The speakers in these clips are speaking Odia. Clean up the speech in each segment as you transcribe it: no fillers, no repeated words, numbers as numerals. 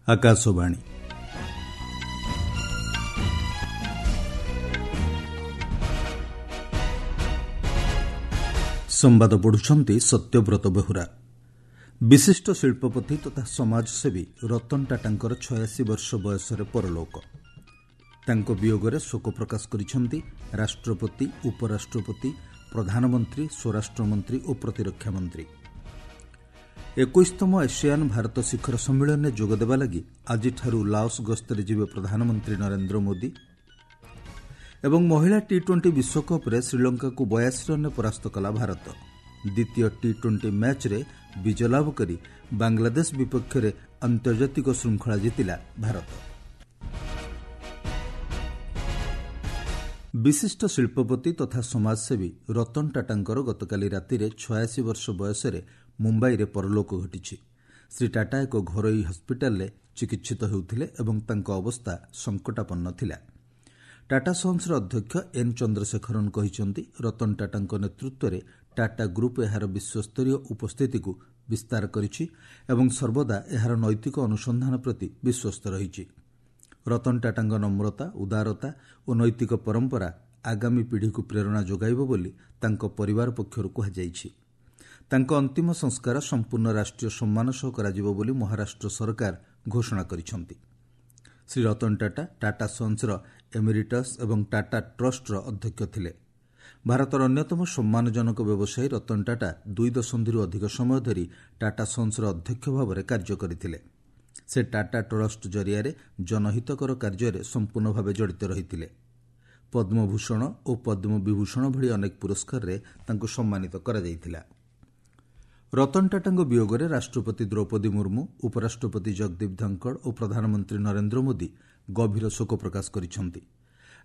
ଆକାଶବାଣୀ। ସମ୍ବାଦ ପଢୁଛନ୍ତି ସତ୍ୟବ୍ରତ ବେହୁରା। ବିଶିଷ୍ଟ ଶିଳ୍ପପତି ତଥା ସମାଜସେବୀ ରତନ ଟାଟାଙ୍କର 86 ବର୍ଷ ବୟସରେ ପରଲୋକ। ତାଙ୍କ ବିୟୋଗରେ ଶୋକ ପ୍ରକାଶ କରିଛନ୍ତି ରାଷ୍ଟ୍ରପତି, ଉପରାଷ୍ଟ୍ରପତି, ପ୍ରଧାନମନ୍ତ୍ରୀ, ସ୍ୱରାଷ୍ଟ୍ରମନ୍ତ୍ରୀ ଓ ପ୍ରତିରକ୍ଷା ମନ୍ତ୍ରୀ। 21ତମ ଏସିଆନ୍ ଭାରତ ଶିଖର ସମ୍ମିଳନୀରେ ଯୋଗଦେବା ଲାଗି ଆଜିଠାରୁ ଲାଓସ୍ ଗସ୍ତରେ ଯିବେ ପ୍ରଧାନମନ୍ତ୍ରୀ ନରେନ୍ଦ୍ର ମୋଦି। ଏବଂ ମହିଳା ଟି ଟ୍ୱେଣ୍ଟି ବିଶ୍ୱକପ୍ରେ ଶ୍ରୀଲଙ୍କାକୁ 82 ରନ୍ରେ ପରାସ୍ତ କଲା ଭାରତ। ଦ୍ୱିତୀୟ ଟି ଟ୍ୱେଣ୍ଟି ମ୍ୟାଚ୍ରେ ବିଜୟ ଲାଭ କରି ବାଂଲାଦେଶ ବିପକ୍ଷରେ ଆନ୍ତର୍ଜାତିକ ଶୃଙ୍ଖଳା ଜିତିଲା ଭାରତ। ବିଶିଷ୍ଟ ଶିଳ୍ପପତି ତଥା ସମାଜସେବୀ ରତନ ଟାଟାଙ୍କର ଗତକାଲି ରାତିରେ 86 ବର୍ଷ ବୟସରେ ମୁମ୍ବାଇରେ ପରଲୋକ ଘଟିଛି। ଶ୍ରୀ ଟାଟା ଏକ ଘରୋଇ ହସ୍ପିଟାଲରେ ଚିକିତ୍ସିତ ହେଉଥିଲେ ଏବଂ ତାଙ୍କ ଅବସ୍ଥା ସଙ୍କଟାପନ୍ନ ଥିଲା। ଟାଟା ସନ୍ସର ଅଧ୍ୟକ୍ଷ ଏନ୍ ଚନ୍ଦ୍ରଶେଖରନ୍ କହିଛନ୍ତି, ରତନ ଟାଟାଙ୍କ ନେତୃତ୍ୱରେ ଟାଟା ଗ୍ରୁପ୍ ଏହାର ବିଶ୍ୱସ୍ତରୀୟ ଉପସ୍ଥିତିକୁ ବିସ୍ତାର କରିଛି ଏବଂ ସର୍ବଦା ଏହାର ନୈତିକ ଅନୁସନ୍ଧାନ ପ୍ରତି ବିଶ୍ୱସ୍ତ ରହିଛି। ରତନ ଟାଟାଙ୍କ ନମ୍ରତା, ଉଦାରତା ଓ ନୈତିକ ପରମ୍ପରା ଆଗାମୀ ପିଢ଼ିକୁ ପ୍ରେରଣା ଯୋଗାଇବ ବୋଲି ତାଙ୍କ ପରିବାର ପକ୍ଷରୁ କୁହାଯାଇଛି। ତାଙ୍କ ଅନ୍ତିମ ସଂସ୍କାର ସମ୍ପୂର୍ଣ୍ଣ ରାଷ୍ଟ୍ରୀୟ ସମ୍ମାନ ସହ କରାଯିବ ବୋଲି ମହାରାଷ୍ଟ୍ର ସରକାର ଘୋଷଣା କରିଛନ୍ତି। ଶ୍ରୀ ରତନ ଟାଟା ଟାଟା ସନ୍ସର ଏମିରିଟସ୍ ଏବଂ ଟାଟା ଟ୍ରଷ୍ଟର ଅଧ୍ୟକ୍ଷ ଥିଲେ। ଭାରତର ଅନ୍ୟତମ ସମ୍ମାନଜନକ ବ୍ୟବସାୟୀ ରତନ ଟାଟା 2 ଦଶନ୍ଧିରୁ ଅଧିକ ସମୟ ଧରି ଟାଟା ସନ୍ସର ଅଧ୍ୟକ୍ଷ ଭାବରେ କାର୍ଯ୍ୟ କରିଥିଲେ। ସେ ଟାଟା ଟ୍ରଷ୍ଟ ଜରିଆରେ ଜନହିତକର କାର୍ଯ୍ୟରେ ସମ୍ପୂର୍ଣ୍ଣ ଭାବେ ଜଡ଼ିତ ରହିଥିଲେ। ପଦ୍ମଭୂଷଣ ଓ ପଦ୍ମବିଭୂଷଣ ଭଳି ଅନେକ ପୁରସ୍କାରରେ ତାଙ୍କୁ ସମ୍ମାନିତ କରାଯାଇଥିଲା। ରତନ ଟାଟାଙ୍କ ବିୟୋଗରେ ରାଷ୍ଟ୍ରପତି ଦ୍ରୌପଦୀ ମୁର୍ମୁ, ଉପରାଷ୍ଟ୍ରପତି ଜଗଦୀପ ଧନଖଡ଼ ଓ ପ୍ରଧାନମନ୍ତ୍ରୀ ନରେନ୍ଦ୍ର ମୋଦି ଗଭୀର ଶୋକ ପ୍ରକାଶ କରିଛନ୍ତି।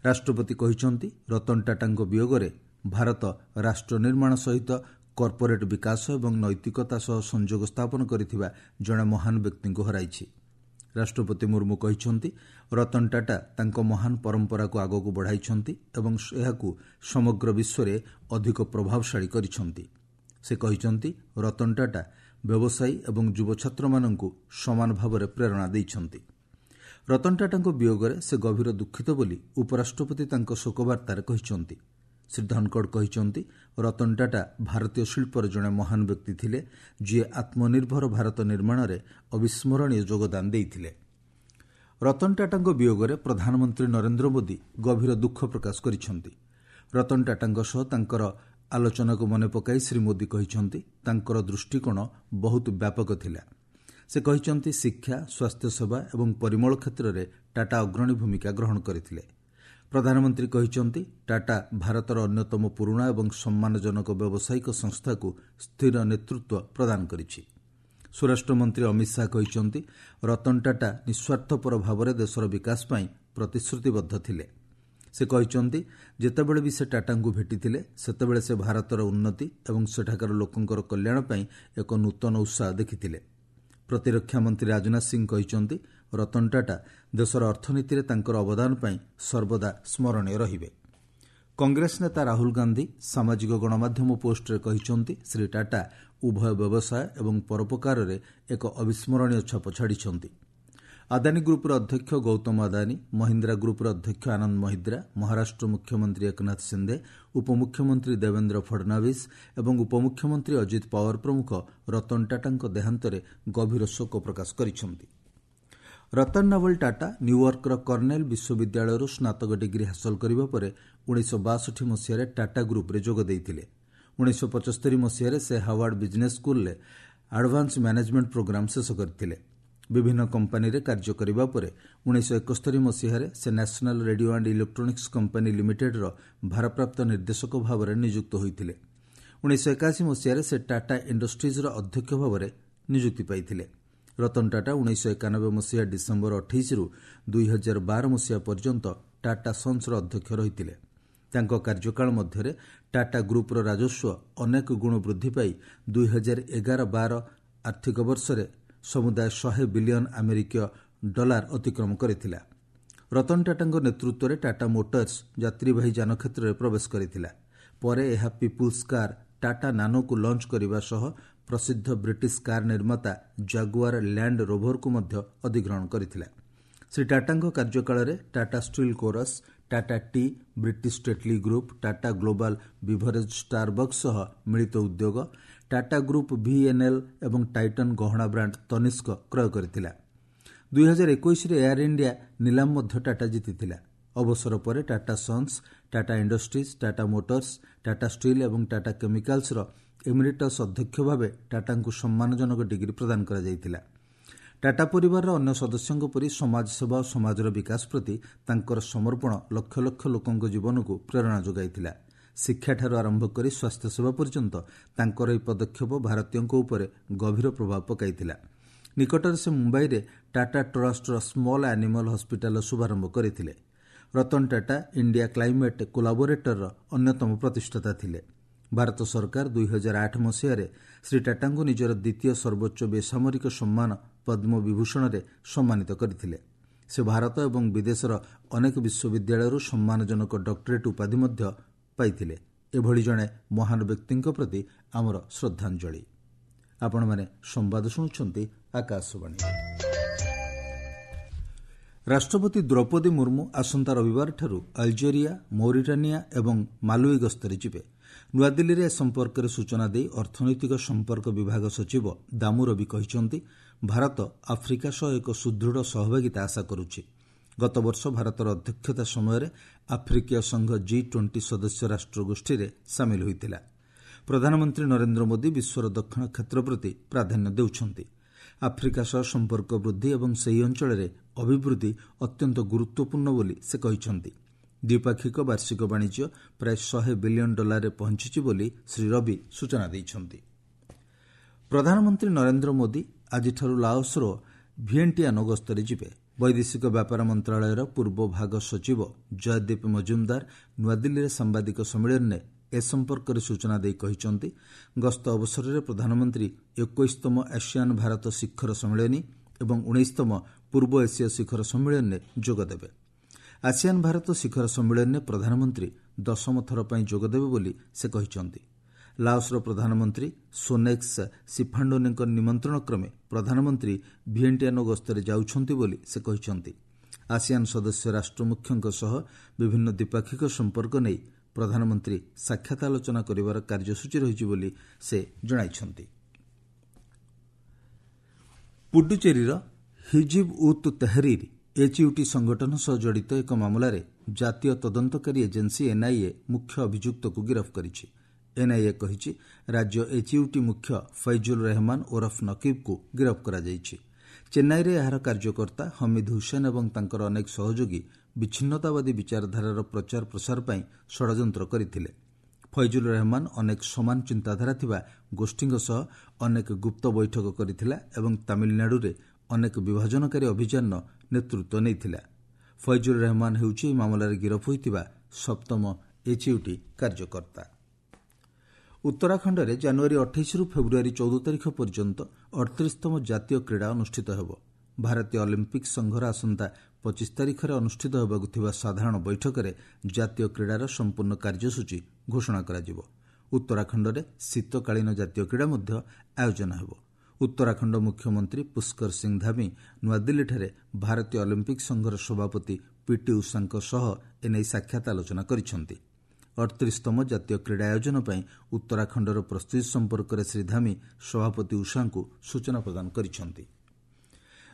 ରାଷ୍ଟ୍ରପତି କହିଛନ୍ତି, ରତନ ଟାଟାଙ୍କ ବିୟୋଗରେ ଭାରତ ରାଷ୍ଟ୍ର ନିର୍ମାଣ ସହିତ କର୍ପୋରେଟ୍ ବିକାଶ ଏବଂ ନୈତିକତା ସହ ସଂଯୋଗ ସ୍ଥାପନ କରିଥିବା ଜଣେ ମହାନ ବ୍ୟକ୍ତିଙ୍କୁ ହରାଇଛି। ରାଷ୍ଟ୍ରପତି ମୁର୍ମୁ କହିଛନ୍ତି, ରତନ ଟାଟା ତାଙ୍କ ମହାନ ପରମ୍ପରାକୁ ଆଗକୁ ବଢ଼ାଇଛନ୍ତି ଏବଂ ଏହାକୁ ସମଗ୍ର ବିଶ୍ୱରେ ଅଧିକ ପ୍ରଭାବଶାଳୀ କରିଛନ୍ତି। ସେ କହିଛନ୍ତି, ରତନ ଟାଟା ବ୍ୟବସାୟୀ ଏବଂ ଯୁବଛାତ୍ରମାନଙ୍କୁ ସମାନ ଭାବରେ ପ୍ରେରଣା ଦେଇଛନ୍ତି। ରତନ ଟାଟାଙ୍କ ବିୟୋଗରେ ସେ ଗଭୀର ଦୁଃଖିତ ବୋଲି ଉପରାଷ୍ଟ୍ରପତି ତାଙ୍କ ଶୋକବାର୍ତ୍ତାରେ କହିଛନ୍ତି। ଶ୍ରୀ ଧନଖଡ଼ କହିଛନ୍ତି, ରତନ ଟାଟା ଭାରତୀୟ ଶିଳ୍ପର ଜଣେ ମହାନ ବ୍ୟକ୍ତି ଥିଲେ, ଯିଏ ଆତ୍ମନିର୍ଭର ଭାରତ ନିର୍ମାଣରେ ଅବିସ୍ମରଣୀୟ ଯୋଗଦାନ ଦେଇଥିଲେ। ରତନ ଟାଟାଙ୍କ ବିୟୋଗରେ ପ୍ରଧାନମନ୍ତ୍ରୀ ନରେନ୍ଦ୍ର ମୋଦି ଗଭୀର ଦୁଃଖ ପ୍ରକାଶ କରିଛନ୍ତି। ରତନ ଟାଟାଙ୍କ ସହ ତାଙ୍କର ଆଲୋଚନାକୁ ମନେ ପକାଇ ଶ୍ରୀ ମୋଦି କହିଛନ୍ତି, ତାଙ୍କର ଦୃଷ୍ଟିକୋଣ ବହୁତ ବ୍ୟାପକ ଥିଲା। ସେ କହିଛନ୍ତି, ଶିକ୍ଷା, ସ୍ୱାସ୍ଥ୍ୟସେବା ଏବଂ ପରିମଳ କ୍ଷେତ୍ରରେ ଟାଟା ଅଗ୍ରଣୀ ଭୂମିକା ଗ୍ରହଣ କରିଥିଲେ। ପ୍ରଧାନମନ୍ତ୍ରୀ କହିଛନ୍ତି, ଟାଟା ଭାରତର ଅନ୍ୟତମ ପୁରୁଣା ଏବଂ ସମ୍ମାନଜନକ ବ୍ୟବସାୟିକ ସଂସ୍ଥାକୁ ସ୍ଥିର ନେତୃତ୍ୱ ପ୍ରଦାନ କରିଛି। ସ୍ୱରାଷ୍ଟ୍ରମନ୍ତ୍ରୀ ଅମିତ ଶାହା କହିଛନ୍ତି, ରତନ ଟାଟା ନିଃସ୍ୱାର୍ଥପର ଭାବରେ ଦେଶର ବିକାଶ ପାଇଁ ପ୍ରତିଶ୍ରୁତିବଦ୍ଧ ଥିଲେ। ସେ କହିଛନ୍ତି, ଯେତେବେଳେ ବି ସେ ଟାଟାଙ୍କୁ ଭେଟିଥିଲେ, ସେତେବେଳେ ସେ ଭାରତର ଉନ୍ନତି ଏବଂ ସେଠାକାର ଲୋକଙ୍କର କଲ୍ୟାଣ ପାଇଁ ଏକ ନୂତନ ଉତ୍ସାହ ଦେଖିଥିଲେ। ପ୍ରତିରକ୍ଷା ମନ୍ତ୍ରୀ ରାଜନାଥ ସିଂ କହିଛନ୍ତି, ରତନ ଟାଟା ଦେଶର ଅର୍ଥନୀତିରେ ତାଙ୍କର ଅବଦାନ ପାଇଁ ସର୍ବଦା ସ୍ମରଣୀୟ ରହିବେ। କଂଗ୍ରେସ ନେତା ରାହୁଲ ଗାନ୍ଧୀ ସାମାଜିକ ଗଣମାଧ୍ୟମ ପୋଷ୍ଟରେ କହିଛନ୍ତି, ଶ୍ରୀ ଟାଟା ଉଭୟ ବ୍ୟବସାୟ ଏବଂ ପରୋପକାରରେ ଏକ ଅବିସ୍ମରଣୀୟ ଛାପ ଛାଡ଼ିଛନ୍ତି। ଆଦାନୀ ଗ୍ରୁପ୍ର ଅଧ୍ୟକ୍ଷ ଗୌତମ ଆଦାନୀ, ମହିନ୍ଦ୍ରା ଗ୍ରୁପ୍ର ଅଧ୍ୟକ୍ଷ ଆନନ୍ଦ ମହିନ୍ଦ୍ରା, ମହାରାଷ୍ଟ୍ର ମୁଖ୍ୟମନ୍ତ୍ରୀ ଏକନାଥ ସିନ୍ଧେ, ଉପମୁଖ୍ୟମନ୍ତ୍ରୀ ଦେବେନ୍ଦ୍ର ଫଡନାଭିସ୍ ଏବଂ ଉପମୁଖ୍ୟମନ୍ତ୍ରୀ ଅଜିତ ପାୱାର ପ୍ରମୁଖ ରତନ ଟାଟାଙ୍କ ଦେହାନ୍ତରେ ଗଭୀର ଶୋକ ପ୍ରକାଶ କରିଛନ୍ତି। ରତନ ନବଲ ଟାଟା ନ୍ୟୁୟର୍କର କର୍ଣ୍ଣେଲ ବିଶ୍ୱବିଦ୍ୟାଳୟରୁ ସ୍ନାତକ ଡିଗ୍ରୀ ହାସଲ କରିବା ପରେ 1962 ମସିହାରେ ଟାଟା ଗ୍ରୁପ୍ରେ ଯୋଗ ଦେଇଥିଲେ। 1975 ମସିହାରେ ସେ ହାୱାର୍ଡ ବିଜ୍ନେସ୍ ସ୍କୁଲରେ ଆଡଭାନ୍ସ ମ୍ୟାନେଜମେଣ୍ଟ ପ୍ରୋଗ୍ରାମ ଶେଷ କରିଥିଲେ। ବିଭିନ୍ନ କମ୍ପାନୀରେ କାର୍ଯ୍ୟ କରିବା ପରେ 1971 ମସିହାରେ ସେ national radio and electronics company ଲିମିଟେଡ୍ର ଭାରପ୍ରାପ୍ତ ନିର୍ଦ୍ଦେଶକ ଭାବରେ ନିଯୁକ୍ତ ହୋଇଥିଲେ। 1981 ମସିହାରେ ସେ ଟାଟା ଇଣ୍ଡଷ୍ଟ୍ରିଜ୍ର ଅଧ୍ୟକ୍ଷ ଭାବରେ ନିଯୁକ୍ତି ପାଇଥିଲେ। ରତନ ଟାଟା 1991 ମସିହା ଡିସେମ୍ବର 28ରୁ 2012 ମସିହା ପର୍ଯ୍ୟନ୍ତ ଟାଟା ସନ୍ସର ଅଧ୍ୟକ୍ଷ ରହିଥିଲେ। ତାଙ୍କ କାର୍ଯ୍ୟକାଳ ମଧ୍ୟରେ ଟାଟା ଗ୍ରୁପ୍ର ରାଜସ୍ୱ ଅନେକ ଗୁଣ ବୃଦ୍ଧି ପାଇ 2011-12 ଆର୍ଥିକ ବର୍ଷରେ ସମୁଦାୟ 100 ବିଲିୟନ ଆମେରିକୀୟ ଡଲାର ଅତିକ୍ରମ କରିଥିଲା। ରତନ ଟାଟାଙ୍କ ନେତୃତ୍ୱରେ ଟାଟା ମୋଟର୍ସ ଯାତ୍ରୀବାହୀ ଯାନ କ୍ଷେତ୍ରରେ ପ୍ରବେଶ କରିଥିଲା। ପରେ ଏହା ପିପୁଲ୍ସ କାର୍ ଟାଟା ନାନୋକୁ ଲଞ୍ଚ କରିବା ସହ ପ୍ରସିଦ୍ଧ ବ୍ରିଟିଶ କାର୍ ନିର୍ମାତା ଜାଗୁଆର ଲ୍ୟାଣ୍ଡ ରୋଭରକୁ ମଧ୍ୟ ଅଧିଗ୍ରହଣ କରିଥିଲା। ଶ୍ରୀ ଟାଟାଙ୍କ କାର୍ଯ୍ୟକାଳରେ Tata steel Corus, Tata tea, British Tetley group, Tata global beverage Starbucks ସହ ମିଳିତ ଉଦ୍ୟୋଗ, ଟାଟା ଗ୍ରୁପ୍ ଭିଏନ୍ଏଲ୍ ଏବଂ ଟାଇଟନ୍ ଗହଣା ବ୍ରାଣ୍ଡ ତନିସ୍କ କ୍ରୟ କରିଥିଲା। 2021ରେ ଏୟାର ଇଣ୍ଡିଆ ନିଲାମ ମଧ୍ୟ ଟାଟା ଜିତିଥିଲା। ଅବସର ପରେ Tata sons, Tata industries, Tata motors, Tata steel ଏବଂ ଟାଟା କେମିକାଲ୍ସର ଏମିରିଟସ୍ ଅଧ୍ୟକ୍ଷ ଭାବେ ଟାଟାଙ୍କୁ ସମ୍ମାନଜନକ ଡିଗ୍ରୀ ପ୍ରଦାନ କରାଯାଇଥିଲା। ଟାଟା ପରିବାରର ଅନ୍ୟ ସଦସ୍ୟଙ୍କ ପରି ସମାଜସେବା ଓ ସମାଜର ବିକାଶ ପ୍ରତି ତାଙ୍କର ସମର୍ପଣ ଲକ୍ଷ ଲକ୍ଷ ଲୋକଙ୍କ ଜୀବନକୁ ପ୍ରେରଣା ଯୋଗାଇଥିଲା। ଶିକ୍ଷାଠାରୁ ଆରମ୍ଭ କରି ସ୍ୱାସ୍ଥ୍ୟସେବା ପର୍ଯ୍ୟନ୍ତ ତାଙ୍କର ଏହି ପଦକ୍ଷେପ ଭାରତୀୟଙ୍କ ଉପରେ ଗଭୀର ପ୍ରଭାବ ପକାଇଥିଲା। ନିକଟରେ ସେ ମୁମ୍ବାଇରେ ଟାଟା ଟ୍ରଷ୍ଟର ସ୍ମଲ୍ ଆନିମଲ୍ ହସ୍ପିଟାଲର ଶୁଭାରମ୍ଭ କରିଥିଲେ। ରତନ ଟାଟା ଇଣ୍ଡିଆ କ୍ଲାଇମେଟ୍ କୋଲାବୋରେଟରର ଅନ୍ୟତମ ପ୍ରତିଷ୍ଠାତା ଥିଲେ। ଭାରତ ସରକାର 2008 ମସିହାରେ ଶ୍ରୀ ଟାଟାଙ୍କୁ ନିଜର ଦ୍ୱିତୀୟ ସର୍ବୋଚ୍ଚ ବେସାମରିକ ସମ୍ମାନ ପଦ୍ମବିଭୂଷଣରେ ସମ୍ମାନିତ କରିଥିଲେ। ସେ ଭାରତ ଏବଂ ବିଦେଶର ଅନେକ ବିଶ୍ୱବିଦ୍ୟାଳୟରୁ ସମ୍ମାନଜନକ ଡକ୍ଟରେଟ୍ ଉପାଧି ମଧ୍ୟ ପାଇଥିଲେ। ଏଭଳି ଜଣେ ମହାନ ବ୍ୟକ୍ତିଙ୍କ ପ୍ରତି ଆମର ଶ୍ରଦ୍ଧାଞ୍ଜଳି। ଆପଣମାନେ ସମ୍ବାଦ ଶୁଣୁଛନ୍ତି ଆକାଶବାଣୀ। ରାଷ୍ଟ୍ରପତି ଦ୍ରୌପଦୀ ମୁର୍ମୁ ଆସନ୍ତା ରବିବାରଠାରୁ ଆଲଜେରିଆ, ମୌରିଟାନିଆ ଏବଂ ମାଲୁଇ ଗସ୍ତରେ ଯିବେ। ନୂଆଦିଲ୍ଲୀରେ ଏ ସମ୍ପର୍କରେ ସୂଚନା ଦେଇ ଅର୍ଥନୈତିକ ସମ୍ପର୍କ ବିଭାଗ ସଚିବ ଦାମୁ ରବି କହିଛନ୍ତି, ଭାରତ ଆଫ୍ରିକା ସହ ଏକ ସୁଦୃଢ଼ ସହଭାଗିତା ଆଶା କରୁଛି। ଗତବର୍ଷ ଭାରତର ଅଧ୍ୟକ୍ଷତା ସମୟରେ ଆଫ୍ରିକୀୟ ସଂଘ ଜି-20 ସଦସ୍ୟ ରାଷ୍ଟ୍ରଗୋଷ୍ଠୀରେ ସାମିଲ ହୋଇଥିଲା। ପ୍ରଧାନମନ୍ତ୍ରୀ ନରେନ୍ଦ୍ର ମୋଦି ବିଶ୍ୱର ଦକ୍ଷିଣ କ୍ଷେତ୍ର ପ୍ରତି ପ୍ରାଧାନ୍ୟ ଦେଉଛନ୍ତି। ଆଫ୍ରିକା ସହ ସମ୍ପର୍କ ବୃଦ୍ଧି ଏବଂ ସେହି ଅଞ୍ଚଳରେ ଅଭିବୃଦ୍ଧି ଅତ୍ୟନ୍ତ ଗୁରୁତ୍ୱପୂର୍ଣ୍ଣ ବୋଲି ସେ କହିଛନ୍ତି। ଦ୍ୱିପାକ୍ଷିକ ବାର୍ଷିକ ବାଣିଜ୍ୟ ପ୍ରାୟ 100 ବିଲିୟନ ଡଲାରରେ ପହଞ୍ଚିଛି ବୋଲି ଶ୍ରୀ ରବି ସୂଚନା ଦେଇଛନ୍ତି। ପ୍ରଧାନମନ୍ତ୍ରୀ ନରେନ୍ଦ୍ର ମୋଦି ଆଜିଠାରୁ ଲାଓସର ଭିଏଣ୍ଟିଆନୋ ଗସ୍ତରେ ଯିବେ। ବୈଦେଶିକ ବ୍ୟାପାର ମନ୍ତ୍ରଣାଳୟର ପୂର୍ବ ଭାଗ ସଚିବ ଜୟଦୀପ ମଜୁମଦାର ନୂଆଦିଲ୍ଲୀରେ ସାମ୍ବାଦିକ ସମ୍ମିଳନୀରେ ଏ ସମ୍ପର୍କରେ ସୂଚନା ଦେଇ କହିଛନ୍ତି, ଗସ୍ତ ଅବସରରେ ପ୍ରଧାନମନ୍ତ୍ରୀ 21ତମ ଆସିଆନ୍ ଭାରତ ଶିଖର ସମ୍ମିଳନୀ ଏବଂ 19ତମ ପୂର୍ବ ଏସୀୟ ଶିଖର ସମ୍ମିଳନୀରେ ଯୋଗଦେବେ। ଆସିଆନ୍ ଭାରତ ଶିଖର ସମ୍ମିଳନୀରେ ପ୍ରଧାନମନ୍ତ୍ରୀ 10ମ ଥର ପାଇଁ ଯୋଗଦେବେ ବୋଲି ସେ କହିଛନ୍ତି। ଲାଓସର ପ୍ରଧାନମନ୍ତ୍ରୀ ସୋନେକ୍ସ ସିଫାଣ୍ଡୋନେଙ୍କ ନିମନ୍ତ୍ରଣ କ୍ରମେ ପ୍ରଧାନମନ୍ତ୍ରୀ ଭିଏଣ୍ଟିଆନୋ ଗସ୍ତରେ ଯାଉଛନ୍ତି ବୋଲି ସେ କହିଛନ୍ତି। ଆସିଆନ୍ ସଦସ୍ୟ ରାଷ୍ଟ୍ରମୁଖ୍ୟଙ୍କ ସହ ବିଭିନ୍ନ ଦ୍ୱିପାକ୍ଷିକ ସମ୍ପର୍କ ନେଇ ପ୍ରଧାନମନ୍ତ୍ରୀ ସାକ୍ଷାତ ଆଲୋଚନା କରିବାର କାର୍ଯ୍ୟସୂଚୀ ରହିଛି ବୋଲି ସେ ଜଣାଇଛନ୍ତି। ପୁଡୁଚେରୀର ହିଜିବ୍ ଉତ୍ ତେହରିର୍ ଏଚ୍ୟୁଟି ସଂଗଠନ ସହ ଜଡ଼ିତ ଏକ ମାମଲାରେ ଜାତୀୟ ତଦନ୍ତକାରୀ ଏଜେନ୍ସି ଏନ୍ଆଇଏ ମୁଖ୍ୟ ଅଭିଯୁକ୍ତକୁ ଗିରଫ କରିଛି। ଏନ୍ଆଇଏ କହିଛି, ରାଜ୍ୟ ଏଚ୍ୟୁଟି ମୁଖ୍ୟ ଫୈଜୁଲ ରେହମାନ ଓରଫ ନକିବକୁ ଗିରଫ କରାଯାଇଛି। ଚେନ୍ନାଇରେ ଏହାର କାର୍ଯ୍ୟକର୍ତ୍ତା ହମିଦ ହୁସେନ ଏବଂ ତାଙ୍କର ଅନେକ ସହଯୋଗୀ ବିଚ୍ଛିନ୍ନତାବାଦୀ ବିଚାରଧାରାର ପ୍ରଚାର ପ୍ରସାର ପାଇଁ ଷଡ଼ଯନ୍ତ୍ର କରିଥିଲେ। ଫୈଜୁଲ ରେହମାନ ଅନେକ ସମାନ ଚିନ୍ତାଧାରା ଥିବା ଗୋଷ୍ଠୀଙ୍କ ସହ ଅନେକ ଗୁପ୍ତ ବୈଠକ କରିଥିଲା ଏବଂ ତାମିଲନାଡୁରେ ଅନେକ ବିଭାଜନକାରୀ ଅଭିଯାନର ନେତୃତ୍ୱ ନେଇଥିଲା। ଫୈଜୁଲ ରେହମାନ ହେଉଛି ଏହି ମାମଲାରେ ଗିରଫ ହୋଇଥିବା ସପ୍ତମ ଏଚ୍ୟୁଟି କାର୍ଯ୍ୟକର୍ତ୍ତା। ଉତ୍ତରାଖଣ୍ଡରେ ଜାନୁଆରୀ 28ରୁ ଫେବୃଆରୀ 14 ତାରିଖ ପର୍ଯ୍ୟନ୍ତ 38ତମ ଜାତୀୟ କ୍ରୀଡ଼ା ଅନୁଷ୍ଠିତ ହେବ। ଭାରତୀୟ ଅଲିମ୍ପିକ୍ ସଂଘର ଆସନ୍ତା 25 ତାରିଖରେ ଅନୁଷ୍ଠିତ ହେବାକୁ ଥିବା ସାଧାରଣ ବୈଠକରେ ଜାତୀୟ କ୍ରୀଡ଼ାର ସମ୍ପୂର୍ଣ୍ଣ କାର୍ଯ୍ୟସୂଚୀ ଘୋଷଣା କରାଯିବ। ଉତ୍ତରାଖଣ୍ଡରେ ଶୀତକାଳୀନ ଜାତୀୟ କ୍ରୀଡ଼ା ମଧ୍ୟ ଆୟୋଜନ ହେବ। ଉତ୍ତରାଖଣ୍ଡ ମୁଖ୍ୟମନ୍ତ୍ରୀ ପୁଷ୍କର ସିଂ ଧାମି ନୂଆଦିଲ୍ଲୀଠାରେ ଭାରତୀୟ ଅଲିମ୍ପିକ୍ ସଂଘର ସଭାପତି ପିଟି ଉଷାଙ୍କ ସହ ଏନେଇ ସାକ୍ଷାତ ଆଲୋଚନା କରିଛନ୍ତି। 38ତମ ଜାତୀୟ କ୍ରୀଡ଼ା ଆୟୋଜନ ପାଇଁ ଉତ୍ତରାଖଣ୍ଡର ପ୍ରସ୍ତୁତି ସମ୍ପର୍କରେ ଶ୍ରୀ ଧାମି ସଭାପତି ଉଷାଙ୍କୁ ସୂଚନା ପ୍ରଦାନ କରିଛନ୍ତି।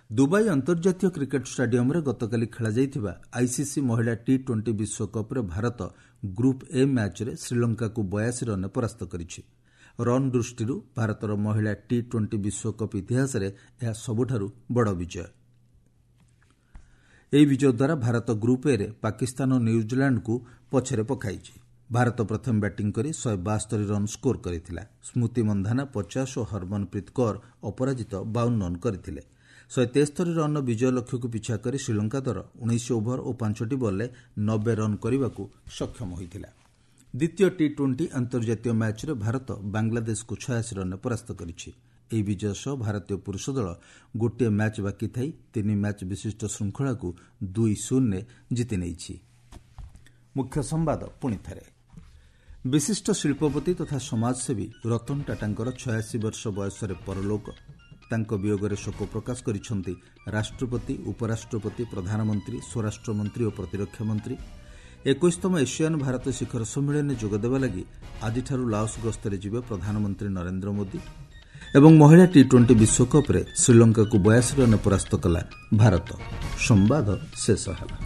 ଦୁବାଇ ଅନ୍ତର୍ଜାତୀୟ କ୍ରିକେଟ୍ ଷ୍ଟାଡିୟମ୍ରେ ଗତକାଲି ଖେଳାଯାଇଥିବା ଆଇସିସି ମହିଳା ଟି-20 ବିଶ୍ୱକପ୍ରେ ଭାରତ ଗ୍ରୁପ୍ ଏ ମ୍ୟାଚ୍ରେ ଶ୍ରୀଲଙ୍କାକୁ 82 ରନ୍ରେ ପରାସ୍ତ କରିଛି। ରନ୍ ଦୃଷ୍ଟିରୁ ଭାରତର ମହିଳା ଟି-20 ବିଶ୍ୱକପ୍ ଇତିହାସରେ ଏହା ସବୁଠାରୁ ବଡ଼ ବିଜୟ। ଏହି ବିଜୟ ଦ୍ୱାରା ଭାରତ ଗ୍ରୁପ୍ ଏରେ ପାକିସ୍ତାନ ଓ ନ୍ୟୁଜିଲାଣ୍ଡକୁ ପଛରେ ପକାଇଛି। ଭାରତ ପ୍ରଥମେ ବ୍ୟାଟିଂ କରି 172 ରନ୍ ସ୍କୋର କରିଥିଲା। ସ୍ମୃତି ମନ୍ଧାନା 50 ଓ ହରମନପ୍ରୀତ କୌର ଅପରାଜିତ 52 ରନ୍ କରିଥିଲେ। 173 ରନ୍ର ବିଜୟ ଲକ୍ଷ୍ୟକୁ ପିଛା କରି ଶ୍ରୀଲଙ୍କା ଦଳ 19 ଓଭର ଓ 5ଟି ବଲ୍ରେ 90 ରନ୍ କରିବାକୁ ସକ୍ଷମ ହୋଇଥିଲା। ଦ୍ୱିତୀୟ ଟି-20 ଅନ୍ତର୍ଜାତୀୟ ମ୍ୟାଚ୍ରେ ଭାରତ ବାଂଲାଦେଶକୁ 86 ରନ୍ରେ ପରାସ୍ତ କରିଛି। ଏହି ବିଜୟ ସହ ଭାରତୀୟ ପୁରୁଷ ଦଳ ଗୋଟିଏ ମ୍ୟାଚ୍ ବାକି ଥାଇ 3 ମ୍ୟାଚ୍ ବିଶିଷ୍ଟ ଶୃଙ୍ଖଳାକୁ 2-0 ଜିତି ନେଇଛି। ମୁଖ୍ୟ ସମ୍ବାଦ ପୁଣି ଥରେ, ବିଶିଷ୍ଟ ଶିଳ୍ପପତି ତଥା ସମାଜସେବୀ ରତନ ଟାଟାଙ୍କର 86 ବର୍ଷ ବୟସରେ ପରଲୋକ। ତାଙ୍କ ବିୟୋଗରେ ଶୋକ ପ୍ରକାଶ କରିଛନ୍ତି ରାଷ୍ଟ୍ରପତି, ଉପରାଷ୍ଟ୍ରପତି, ପ୍ରଧାନମନ୍ତ୍ରୀ, ସ୍ୱରାଷ୍ଟ୍ରମନ୍ତ୍ରୀ ଓ ପ୍ରତିରକ୍ଷା ମନ୍ତ୍ରୀ। 21ତମ ଏସିଆନ୍ ଭାରତ ଶିଖର ସମ୍ମିଳନୀରେ ଯୋଗଦେବା ଲାଗି ଆଜିଠାରୁ ଲାଓସ୍ ଗସ୍ତରେ ଯିବେ ପ୍ରଧାନମନ୍ତ୍ରୀ ନରେନ୍ଦ୍ର ମୋଦି। ଏବଂ ମହିଳା ଟି-20 ବିଶ୍ୱକପ୍ରେ ଶ୍ରୀଲଙ୍କାକୁ 82 ରନ୍ରେ ପରାସ୍ତ କଲା ଭାରତ। ସମ୍ବାଦ ଶେଷ ହେଲା।